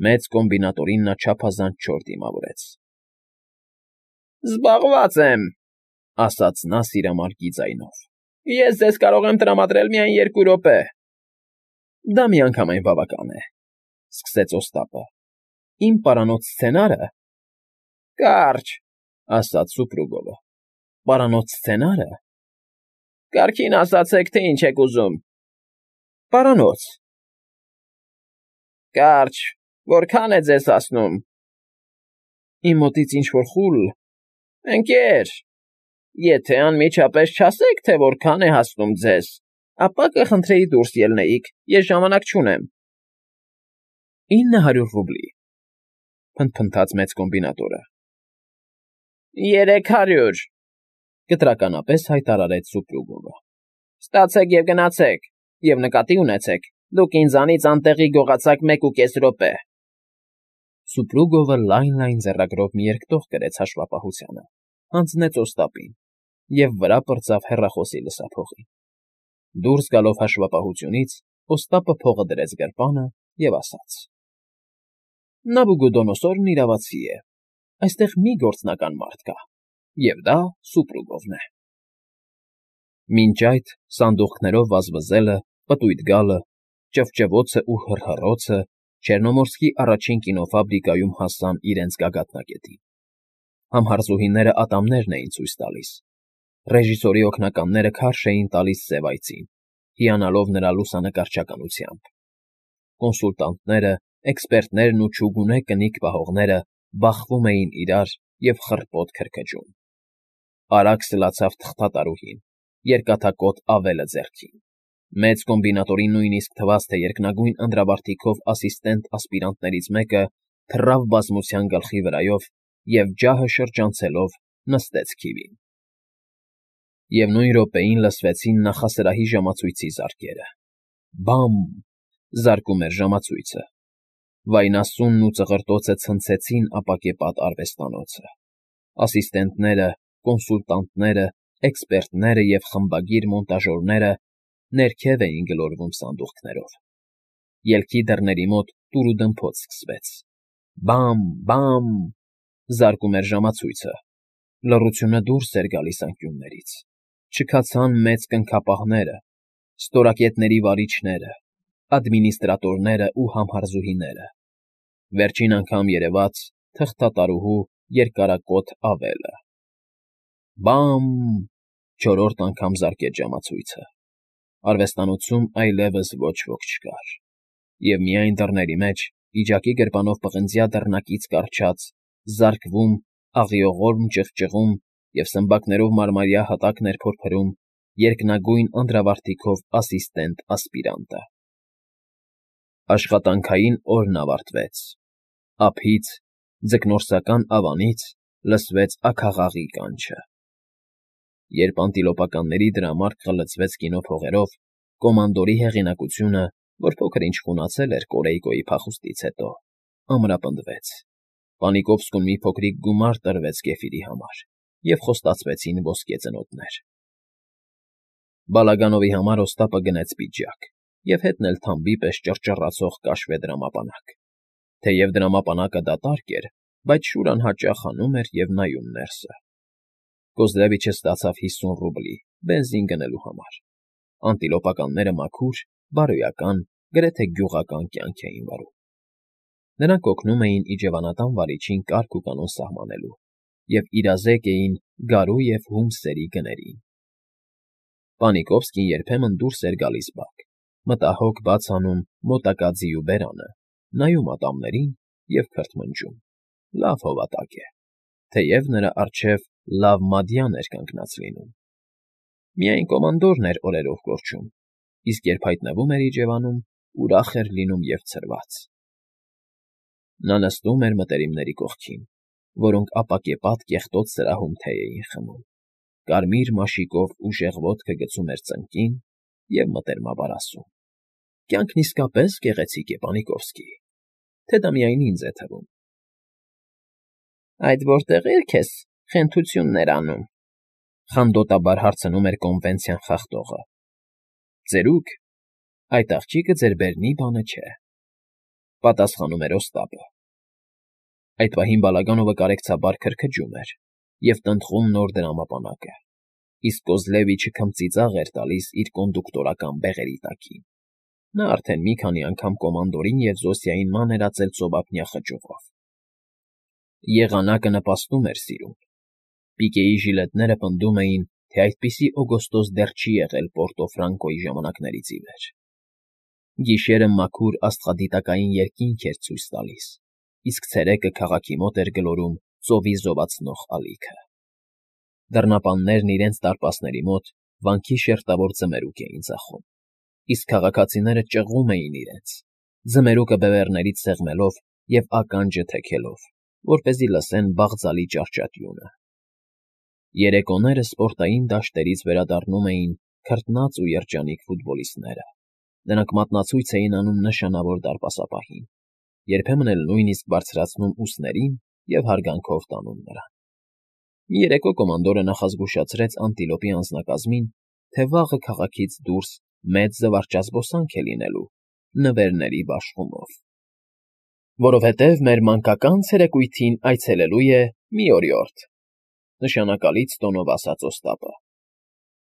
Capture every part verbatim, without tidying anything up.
Մեծ կոմբինատորին նա չափազանց չոր դիմավորեց։ ֊ Զբաղված եմ,֊ ասաց նա սիրամարգի ձայնով։֊ Ես ձեզ կարող եմ տրամադրել միայն երկու րոպե։ ֊ Դա միանգամայն բավական է,֊ սկսեց Օստապը։֊ Իմ պարանոց սցենարը… ֊ Կարճ,֊ ասաց Սուպրուգովը։ ֊ Պարանոց սցենարը… Կարգին ասացեք, թե ինչ եք ուզում։ ֊ Պարանոց… ֊ Կարճ… Որքա՞ն է ձեզ հասնում։ ֊ Իմ մոտից ինչ֊որ խուլ… Ընկեր… Եթե անմիջապես չասեք, թե որքան է հասնում ձեզ, ապա կխնդրեի դուրս ելնեիք, ես ժամանակ չունեմ։ ֊ Ինը հարյուր ռուբլի,֊ փնթփնթաց մեծ կոմբինատորը։ ֊ Երեք հարյուր,֊ կտրականապես հայտարարեց Սուպրուգովը։ ֊ Ստացեք և գնացեք, և նկատի ունեցեք, դուք ինձանից անտեղի գողացաք մեկ ու կես րոպե… Սուպրուգովը լայն֊լայն ձեռագրով մի երկտող գրեց հաշվապահությանը, հանձնեց Օստապին և վրա պրծավ հեռախոսի լսափողին։ Դուրս գալով հաշվապահությունից՝ Օստապը փողը դրեց գրպանը և ասաց. ֊ Նաբուգոդոնոսորն իրավացի է, այստեղ մի գործնական մարդ կա, և դա Սուպրուգովն է… Մինչ այդ սանդուղքներով վազվզելը, պտույտ գալը, ճվճվոցն ու հռհռոցը Չեռնոմորսկի առաջին կինոֆաբրիկայում հասան իրենց գագաթնակետին։ Համհարձուհիները ատամներն էին ցույց տալիս, ռեժիսորի օգնականները քարշ էին տալիս սև այծին, հիանալով նրա լուսանկարչականությամբ։ Կոնսուլտանտները, էքսպերտներն ու չուգունե կնիկ պահողները բախվում էին իրար և խռպոտ քրքջում։ Արագ սլացավ թղթատարուհին, երկաթակոթ ավելը ձեռքին։ Մեծ կոմբինատորին նույնիսկ թվաց, թե երկնագույն անդրավարտիքով ասիստենտ֊ասպիրանտներից մեկը թռավ բազմության գլխի վրայով և ջահը շրջանցելով նստեց քիվին։ Եվ նույն րոպեին լսվեցին նախասրահի ժամացույցի զարկերը. «Բամ»… զարկում էր ժամացույցը։ Վայնասունն ու ծղրտոցը ցնցեցին ապակեպատ արվեստանոցը։ Ասիստենտները, կոնսուլտանտները, էքսպերտները և խմբագիր մոնտաժյորները ներքև էին գլորվում սանդուղքներով։ Ելքի դռների մոտ տուրուդմփոց սկսվեց. «Բամ, բամ»… զարկում էր ժամացույցը։ Լռությունը դուրս էր գալիս անկյուններից։ Չքացան մեծ կնքապահները, ստորակետների վարիչները, ադմինիստրատորները ու համհարձուհիները։ Վերջին անգամ երևաց թղթատարուհու երկարակոթ ավելը։ «Բամ»… չորրորդ անգամ զարկեց ժամացույցը։ Արվեստանոցում այլևս ոչ ոք չկար, և միայն դռների մեջ, պիջակի գրպանով պղնձյա դռնակից կառչած, զարկվում, աղիողորմ ճղճղում և սմբակներով մարմարյա հատակն էր փորփրում երկնագույն անդրավարտիքով ասիստենտ֊ասպիրանտը։ Աշխատանքային օրն ավարտվեց։ Ափից, ձկնորսական ավանից լսվեց աքաղաղի կանչը։ Երբ անտիլոպականների դրամարկղը լցվեց կինոփողերով, կոմանդորի հեղինակությունը, որ փոքր֊ինչ խունացել էր Կորեյկոյի փախուստից հետո, ամրապնդվեց։ Պանիկովսկուն մի փոքրիկ գումար տրվեց կեֆիրի համար, և խոստացվեցին ոսկե ծնոտներ։ Բալագանովի համար Օստապը գնեց պիջակ և հետն էլ թամբի պես ճռճռացող կաշվե դրամապանակ։ Թեև դրամապանակը դատարկ էր, բայց Շուրան հաճախ հանում էր և նայում ներսը։ Կոզլևիչը ստացավ հիսուն ռուբլի բենզին գնելու համար։ Անտիլոպականները մաքուր, բարոյական, գրեթե գյուղական կյանք էին վարում։ Նրանք օգնում էին իջևանատան վարիչին կարգ ու կանոն սահմանելու և իրազեկ էին գարու և հում սերի գներին։ Պանիկովսկին երբեմն դուրս էր գալիս բակ, մտահոգ բաց անում մոտակա ձիու բերանը, նայում ատամներին և քրթմնջում. լավ հովատակ է, թեև նրա առջև լավ մադյան էր կանգնած լինում։ Միայն կոմանդորն էր օրերով կորչում, իսկ երբ հայտնվում էր իջևանում, ուրախ էր լինում և ցրված։ Նա նստում էր մտերիմների կողքին, որոնք ապակեպատ կեղտոտ սրահում թեյ էին խմում, կարմիր մաշիկով ուժեղ ոտքը գցում էր ծնկին և մտերմաբար ասում. «Կյանքն իսկապես գեղեցիկ է, Պանիկովսկի, թե դա միայն ինձ է թվում»։ ֊ Այդ որտեղի՞րք ես խենթություններ անում,֊ խանդոտաբար հարցնում էր կոնվենցիան խախտողը։ ֊ Ծերուկ, այդ աղջիկը ձեր բերնի բանը չէ։ Պատասխանում էր Օստապը։ Այդ պահին Բալագանովը կարեկցաբար քրքջում էր և տնտղում նոր դրամապանակը, իսկ Կոզլևիչը քմծիծաղ էր տալիս իր կոնդուկտորական բեղերի տակին։ Նա արդեն մի քանի անգամ կոմանդորին և Զոսիային մանրացել ծովափնյա խճուղով։ Եղանակը նպաստում էր սիրուն։ Պիկեի ժիլետները պնդում էին, թե այդպիսի օգոստոս դեռ չի եղել Պորտոֆրանկոյի ժամանակներից ի վեր։ Գիշերը մաքուր աստղադիտակային երկինք էր ցույց տալիս, իսկ ցերեկը քաղաքի մոտ էր գլորում ծովի զովացնող ալիքը։ Դռնապաններն իրենց դարպասների մոտ վանքի շերտավոր ձմերուկ էին ծախում, իսկ քաղաքացիները ճղում էին իրենց, ձմերուկը բևեռներից սեղմելով և ականջը թեքելով, որպեսզի լսեն բաղձալի ճահճատյունը։ Երեկոները սպորտային դաշտերից վերադառնում էին քրտնած ու երջանիկ ֆուտբոլիստները։ Նրանք մատնացույց էին անում նշանավոր դարպասապահին, երբեմն էլ նույնիսկ բարձրացնում ուսներին և հարգանքով տանում նրան։ Մի երեկո կոմանդորը նախազգուշացրեց Անտիլոպի անձնակազմին, թե վաղը քաղաքից դուրս մեծ զվարճազբոսանք է լինելու նվերների բաշխումով։ Որովհետև մեր մանկական ցերեկույթին այցելելու է մի օրիորդ,֊ նշանակալից տոնով ասաց Օստապը։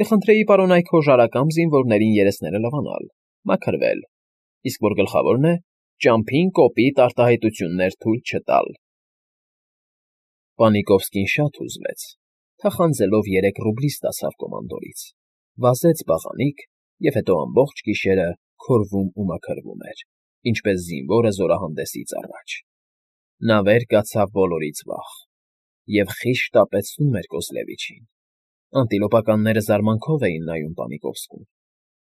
Կխնդրեի պարոն այք հոժարակամ զինվորներին երեսները լվանալ, մաքրվել, իսկ որ գլխավորն է, ճամփին կոպիտ արտահայտություններ թույլ չտալ։ Պանիկովսկին շատ հուզվեց, թախանձելով երեք ռուբլի ստացավ կոմանդորից, վազեց բաղանիք և հետո ամբողջ գիշերը քորվում ու մաքրվում էր, ինչպես զինվորը զորահանդեսից առաջ։ Նա վեր կացավ բոլորից վաղ և խիստ շտապեցնում էր Կոզլևիչին։ Անտիլոպականները զարմանքով էին նայում Պանիկովսկուն։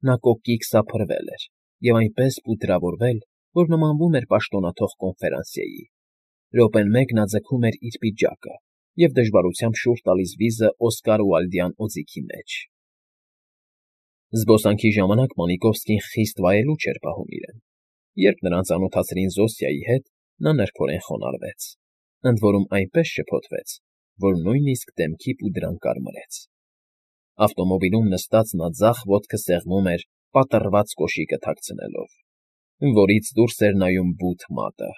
Նա կոկիկ սափրվել էր և այնպես պուդրավորվել, որ նմանվում էր պաշտոնաթող կոնֆերանսիեի։ Րոպեն մեկ նա ձգում էր իր պիջակը և դժվարությամբ շուռ տալիս վիզը Օսկար Ուայլդյան օձիքի մեջ։ Զբոսանքի ժամանակ Պանիկովսկին խիստ վայելուչ էր պահում իրեն։ Երբ նրան ծանոթացրին Զոսիայի հետ, նա նրբորեն խոնարհվեց, ընդ որում այնպես շփոթվեց, որ նույնիսկ դեմքի պուդրան կարմրեց։ Ավտոմոբիլում նստած նա ձախ ոտքը սեղմում էր պատռված կոշիկը թաքցնելով, որից դուրս էր նայում բութ մատը։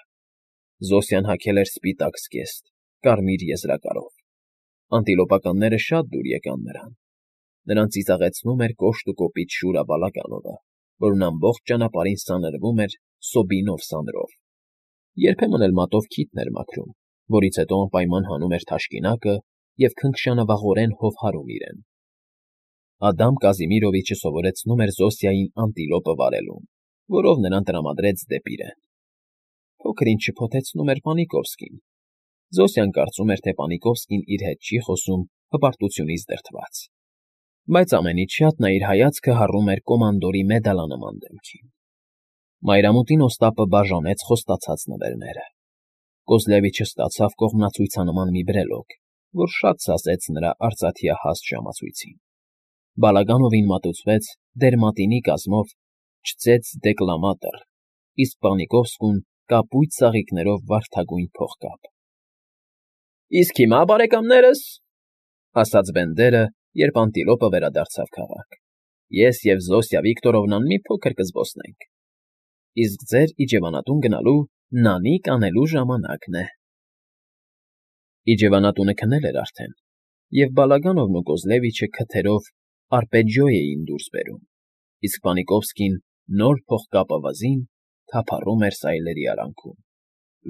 Զոսիան հագել էր սպիտակ զգեստ, կարմիր եզրակարով։ Անտիլոպականները շատ դուր եկան նրան։ Նրան ծիծաղեցնում էր կոշտ ու կոպիտ Շուրա Բալագանովը, որն ամբողջ ճանապարհին սանրվում էր Սոբինով սանրով։ Երբեմն էլ մատով քիթն էր մաքրում, որից հետո անպայման հանում էր թաշկինակը և քնքշանավաղորեն հովհարում իրեն։ Ադամ Կազիմիրովիչը սովորեցնում էր Զոսիային անտիլոպը վարելուն, որով նրան տրամադրեց դեպի իրեն։ Փոքր-ինչ շփոթեցնում էր Պանիկովսկին։ Զոսիան կարծում էր, թե Պանիկովսկին իր հետ չի խոսում հպարտությունից դրդված։ Բայց ամենից շատ նա իր հայացքը հառում էր կոմանդորի մեդալանման դեմքին։ Մայրամուտին Օստապը բաժանեց խոստացած նվերները։ Կոզլևիչը ստացավ կողմնացույցանման մի բրելոկ, որ շատ սազեց նրա արծաթյահաստ ժամացույցին։ Բալագանովին մատուցվեց դերմատինի կազմով չծեծ դեկլամատոր, իսկ Պանիկովսկուն կապույտ ծաղիկներով վարդագույն փողկապ։ Իսկ հիմա, բարեկամներս, ասաց Բենդերը, երբ Անտիլոպը վերադարձավ քաղաք, ես և Զոսիա Վիկտորովնան մի փոքր կզբոսնենք։ Իսկ ձեր իջևանատուն գնալու նանիկ անելու ժամանակն է։ Իջևանատունը քնել էր արդեն, և Բալագանովն ու Կոզլևիչը քթերով արպեջիո էին դուրս բերում, իսկ Պանիկովսկին նոր փողկապը վզին թափառում էր սայլերի արանքում,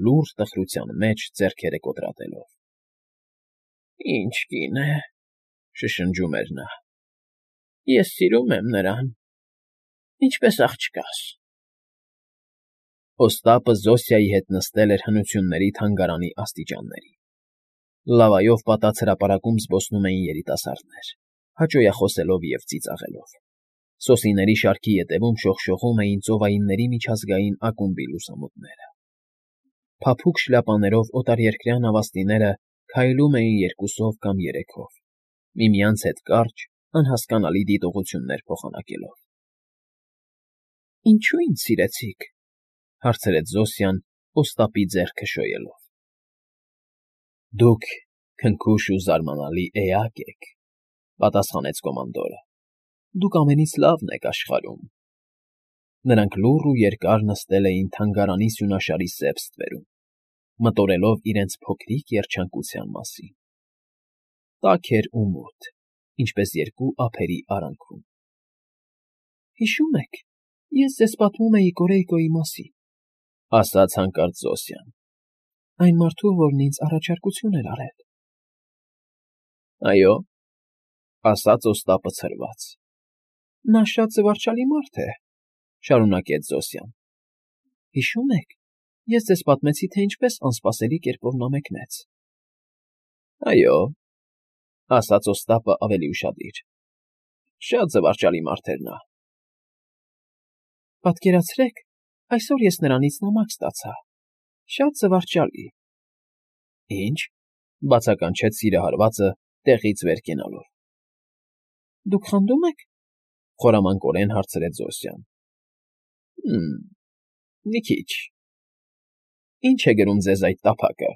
լուրջ տխրության մեջ ձեռքերը կոտրատելով։ Ինչ կին է,֊ շշնջում էր նա։ Ես սիրում եմ նրան, ինչպես աղջկաս։ Օստապը Զոսիայի հետ նստել էր հնությունների թանգարանի աստիճաններին։ Լավայով պատած հրապարակում զբոսնում էին երիտասարդներ, հաճոյախոսելով և ծիծաղելով։ Սոսիների շարքի ետևում շողշողում էին ծովայինների միջազգային ակումբի լուսամուտները։ Փափուկ շլյապաներով օտարերկրյա նավաստիները քայլում էին երկուսով կամ երեքով, միմյանց հետ կարճ, անհասկանալի դիտողություններ փոխանակելով։ Ինչո՞ւ ինձ սիրեցիք,֊ հարցրեց Զոսիան Օստապի ձեռքը շոյելով։ Դուք քնքուշ ու զարմանալի էակ եք,֊ պատասխանեց կոմանդորը։ Դուք ամենից լավն եք աշխարհում։ Նրանք լուռ ու երկար նստել էին թանգարանի սյունաշարի սև ստվերում, մտորելով իրենց փոքրիկ երջանկության մասին. տաք էր ու մութ, ինչպես երկու ափերի արանքում։ «Հիշո՞ւմ եք, ես ձեզ պատմում էի Կորեյկոյի մասին,֊ ասաց հանկարծ Զոսիան,֊ այն մարդու, որն ինձ առաջարկություն էր արել»։ «Այո,֊ ասաց Օստապը ցրված։ Նա շատ զվարճալի մարդ է,֊ շարունակեց Զոսիան։ Հիշո՞ւմ եք, ես ձեզ պատմեցի, թե ինչպես անսպասելի կերպով նա մեկնեց։ «Այո,֊ ասաց Օստապը ավելի ուշադիր,֊ շատ զվարճալի մարդ էր նա»։ Պատկերացրեք, այսօր ես նրանից նամակ ստացա, շատ զվարճալի։ Ի՞նչ,֊ բացականչեց սիրահարվածը, տեղից վեր կենալով։ Դուք խանդո՞ւմ եք,֊ խորամանկորեն հարցրեց Զոսիան։ Հը՛մ, մի քիչ։ Ի՞նչ է գրում ձեզ այդ տափակը։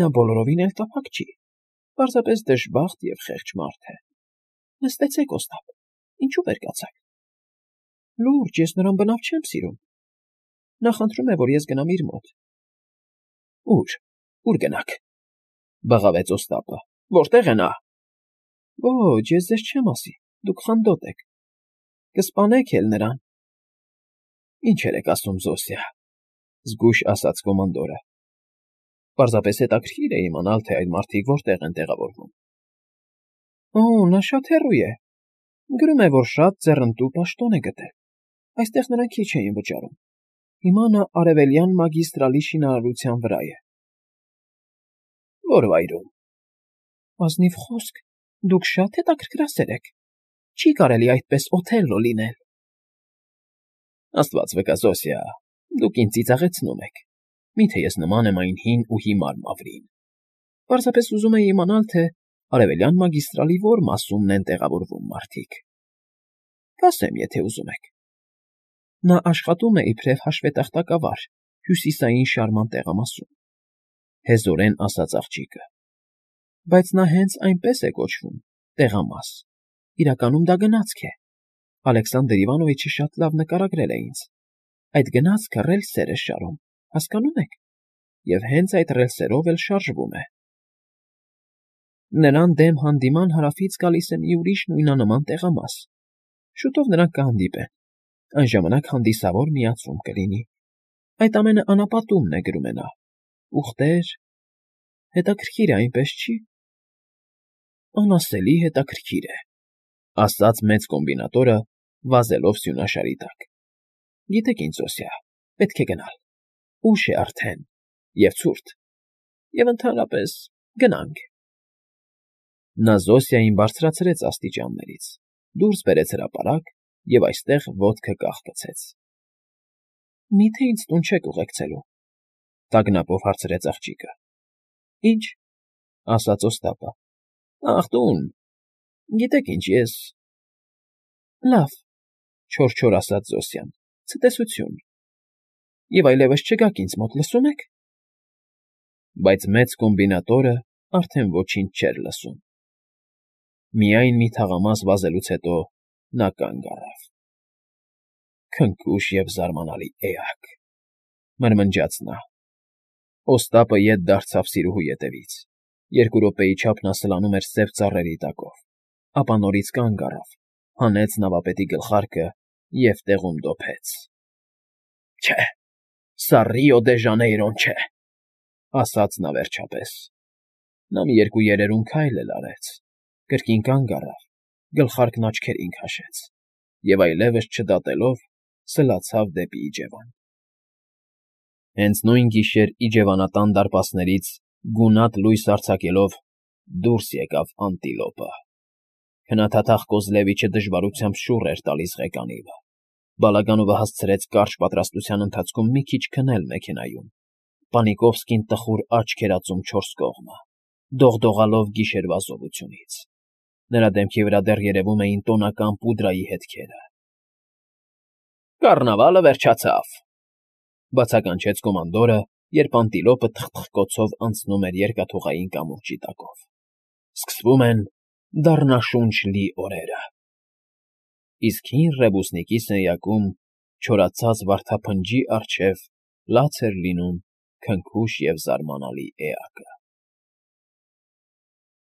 Նա բոլորովին էլ տափակ չի, պարզապես դժբախտ և խեղճ մարդ է։ Նստեցեք, Օստապ, ինչու վեր կացաք։ Լուրջ, ես նրան բնավ չեմ սիրում։ Նա խնդրում է, որ ես գնամ իր մոտ։ Ո՞ւր, ո՞ւր գնաք,֊ բղավեց Օստապը։ Որտե՞ղ է նա։ Ոչ, ես ձեզ չեմ ասի, դուք խանդոտ եք։ Կսպանեք էլ նրան։ Ինչ երեք ասում, Զոսիա,֊ զգույշ ասաց կոմանդորը։ Պարզապես հետաքրքիր է իմանալ, թե այդ մարդիկ որտեղ են տեղավորվում։ Օ, նա շատ հեռու է։ Գրում է, որ շատ ձեռնտու պաշտոն է գտել։ Այստեղ նրան քիչ էին վճարում։ Հիմա նա Արևելյան մագիստրալի շինարարության վրա է։ Ո՞ր վայրում։ Ազնիվ խոսք, դուք շատ հետաքրքրասեր եք։ Չի կարելի այդպես Օթելլո լինել։ Աստված վկա, Զոսիա, դուք ինձ ծիծաղեցնում եք։ Մի՞թե ես նման եմ այն հին ու հիմար մավրին։ Պարզապես ուզում էի իմանալ, թե Արևելյան մագիստրալի ո՞ր մասումն են տեղավորվում մարդիկ։ Կասեմ, եթե ուզում եք։ Նա աշխատում է իբրև հաշվետախտակավար հյուսիսային շարման տեղամասում, հեզորեն ասաց աղջիկը։ Բայց նա հենց այնպես է կոչվում, տեղամաս, իրականում դա գնացք է։ Ալեքսանդր Իվանովիչը շատ լավ նկարագրել է ինձ։ Այդ գնացքը ռելսեր է շարում, հասկանո՞ւմ եք, և հենց այդ ռելսերով էլ շարժվում է։ Նրան դեմ հանդիման հարավից գալիս է մի ուրիշ նույնանման տեղամաս։ Շուտով նրանք կհանդիպեն։ Այն ժամանակ հանդիսավոր միացում կլինի։ Այդ ամենը անապատումն է, գրում է նա։ Ուղտեր… Հետաքրքիր է, այնպես չի։ Անասելի հետաքրքիր է, ասաց մեծ կոմբինատորը, վազելով սյունաշարի տակ։ Գիտեք ինչ, Զոսիա, պետք է գնալ։ Ուշ է արդեն, և ցուրտ, և ընդհանրապես գնանք։ Նա Զոսիային բարձրացրեց աստիճաններից, դուրս բերեց հրապարակ և այստեղ ոտքը կախկցեց։ Մի՞թե ինձ տուն չեք ուղեկցելու,֊ տագնապով հարցրեց աղջիկը։ Ինչ,֊ ասաց Օստապը։ Ախ, տուն… Գիտեք ինչ, ես… Լավ,֊ չոր֊չոր ասաց Զոսիան, ցտեսություն։ Եվ այլևս չգաք ինձ մոտ, լսո՞ւմ եք։ Բայց մեծ կոմբինատորը արդեն ոչինչ չէր լսում։ Միայն մի թաղամաս վազելուց հետո նա կանգ առավ։ Քնքուշ և զարմանալի էակ,֊ մրմնջաց նա։ Օստապը ետ դարձավ սիրուհու ետևից։ Երկու րոպեի չափ նա սլանում էր սև ծառերի տակով, ապա նորից կանգ առավ, հանեց նավապետի գլխարկը և տեղում դոփեց։ Չէ, սա Ռիո դե Ժանեյրոն չէ,֊ ասաց նա վերջապես։ Նա մի երկու երերուն քայլ էլ արեց, կրկին կանգ առավ, գլխարկն աչքերին քաշեց և այլևս չդատելով սլացավ դեպի իջևան։ Հենց նույն գիշեր իջևանատան դարպասներից գունատ լույս արձակելով դուրս եկավ Անտիլոպը։ Քնաթաթախ Կոզլևիչը դժվարությամբ շուռ էր տալիս ղեկանիվը։ Բալագանովը հասցրեց կարճ պատրաստության ընթացքում մի քիչ քնել մեքենայում։ Պանիկովսկին տխուր աչք էր ածում չորս կողմը, դողդողալով գիշերվա զովությունից։ Նրա դեմքի վրա դեռ երևում էին տոնական պուդրայի հետքերը։ Կառնավալը վերջացավ,֊ բացականչեց կոմանդորը, երբ Անտիլոպը թխթխկոցով անցնում էր երկաթուղային կամուրջի տակով։ Սկսվում են դառնաշունչ լի օրերը։ Իսկ հին Ռեբուսնիկի սենյակում չորացած վարդափնջի առջև լաց էր լինում քնքուշ և զարմանալի էակը։